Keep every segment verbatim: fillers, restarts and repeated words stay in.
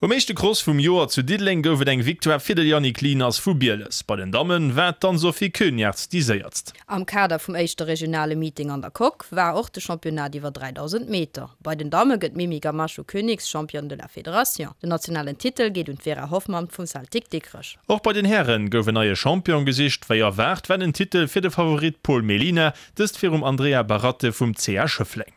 Um éischte Cross vum Joer zu Diddeleng gouf et eng Victoire fir de Yannick Lieners vu Bieles. Bei den Damme war d'Anne-Sophie Koeniartz déi séierst. Am Kader vum éischte regionale Meeting an der Coque war och de Championnat iwwer dräidausend Meter. Bei den Damme gëtt d'Mimi Gamacho Königschampion de la Fédération. Den nationalen Titel geet un d'Vera Hoffmann vum Celtic Dikrech. Och bei den Hären gouf en neie Champion gesicht. Wéi erwaart war den Titel fir de Favorit Paul Mellina, dëst virum Andrea Baratte vum C A Schëffleng.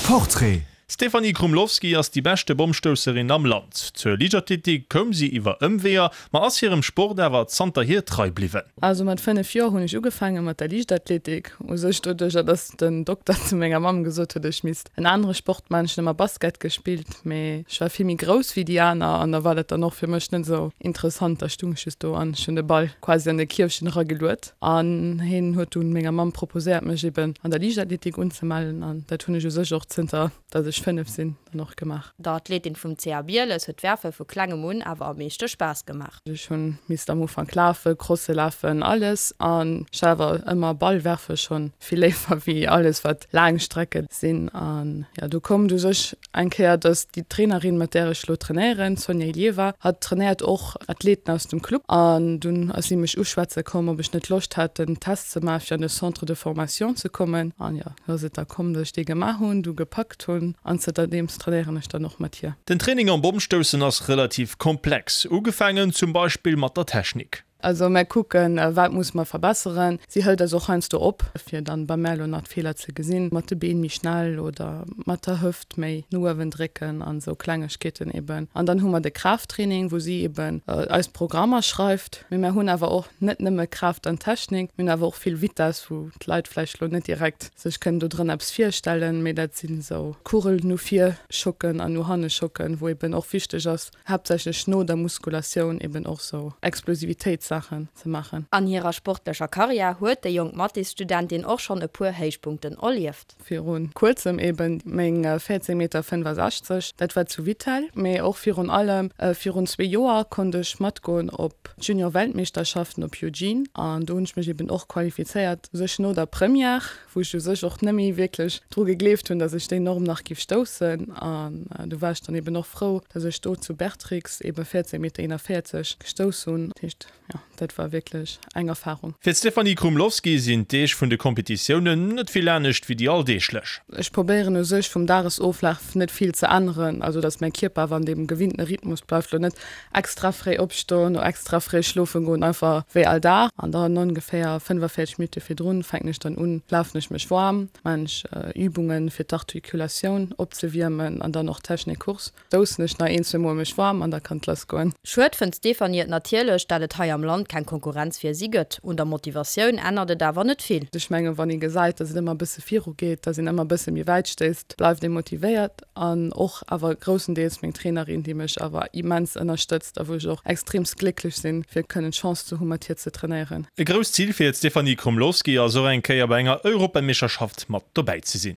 Portrait. D'Stéphanie Krumlovsky ass déi beschte Bommstousserin am Land. Zur Liichtathletik koum si iwwer Ëmweeër, ma ass hirem Sport awer zanterhier trei bliwwen. Also mat fënnef Joer hunn ech ugefaange mat der Liichtathletik, u sech doduercher, dass den Dokter zu menger Mamm gesot huet, ech misst en anere Sport maachen. Ech hunn ëmmer Basket gespillt, mee ech war vill méi grouss wéi déi aner an da war dat dann och fir mech net esou interessant. Da stung ech just do an ech hunn de Ball quasi an de Kierfchen erageluet an hien huet dunn menger Mamm proposéiert, mech eben an der Liichtathletik unzemellen an dat hunn ech u sech och zënter dass ech fënnef sinn dann och gemaach. Der Athletin vum C A Bieles huet d'Werfe vu klengem un awer am meeschte Spaass gemaach. Ech hunn misst am Ufank lafen, Crosse lafen, alles an ech war awer ëmmer Ball werfe schonn vill léiwer wéi alles wat laang Strecke sinn. An jo, du koum du sech eng Kéier, dass déi Trainerin mat där ech lo trainéieren, d'Sonja Ilieva, hatt trainéiert och Athleten aus dem Club an dunn ass si mech uschwätze komm, ob ech net Loscht hätt den Test ze maachen fir an de Centre de formation ze kommen. An jo, du ass et da komm, dass ech dee gemaach hunn, du gepackt hunn an zënterdeems trainéieren ech dann och mat hir. Den Training am Bommstoussen ass relativ komplex, ugefaangen zum Beispill mat der Technik. Also mär kucken, wat muss mer verbesseren. Si hëlt eis och heiansdo op, fir dann bei mär elo nach d'Feeler ze gesinn, mat de Been méi schnell oder mat der Hëft méi no uewen drécken an esou Klengegkeeten eben. An dann hu mer de Kraafttraining, wou si eben eis Programmer schreift. Mee mär hunn awer och net nëmme Kraaft an Technik, mir hunn awer och vill Vitess, wou d'Leit vläicht elo net direkt sech kënnen do drënner eppes virstellen, mee dat sinn esou Kugel no vir schocken an no hanne schocken, wou eben och wichteg ass, haaptsächlech no der Muskulatioun eben och esou Explosivitéitssaachen ze maachen. An hirer sportlecher Karriär huet déi jonk Mathésstudentin och schonn e puer Héichpunkten erlieft. Viru kuerzem eben meng véierzéng Meter fënnfasechzeg, dat war zu Vittel, mee och virun allem virun zwee Joer konnt ech matgoen op d'Junior-Weltmeeschterschaften op Eugene an do hunn ech mech eben och qualifizéiert, u sech no der Première, wou ech u sech och net méi wierklech dru gegleeft hunn, datt ech déi Norm nach giff stoussen. An du war ech dann eben och frou, datt ech do zu Bertrix eben véierzéng Meter eenanvéierzeg gestouss hunn. Dat heescht, jo, dat war wierklech eng Erfarung. Fir d'Stéphanie Krumlovsky sinn d'Deeg vun de Kompetitiounen net vill anescht wéi déi alldeeglech. Ech probéieren u sech vum Dagesoflaf net vill ze änneren, also datt mäi Kierper awer an deem gewinnten Rhythmus bleift, lo net extra fréi opstoen oder extra fréi schlofen goen, einfach wéi all Dag. An dann ongeféier fënnefavierzeg Minutte virdrun fänken ech dann un, lafen ech mech waarm, maan ech Übungen fir d'Artikulatioun opzewiermen an dann och Technikcourse. Stoussen ech nach een, zwee Mol mech waarm an da kann et lass goen. Schued fënnt d'Stéphanie et natierlech, dat et hei am Land keng Konkurrenz fir si gëtt. Un der Motivatioun ännert et awer net vill. Ech mengen, wann ee gesäit, datt et ëmmer e bësse viru geet, datt een ëmmer e bësse méi wäit stéisst, bleift ee motivéiert. An och awer groussendeels meng Trainerin, déi mech awer immens ënnerstëtzt a wou ech och extreemst glécklech sinn, fir kënnen d'Chance ze hu mat hir ze trainéieren. E grousst Zil fir d'Stéphanie Krumlovsky ass och eng Kéier bei enger Europameeschterschaft mat dobäi ze sinn.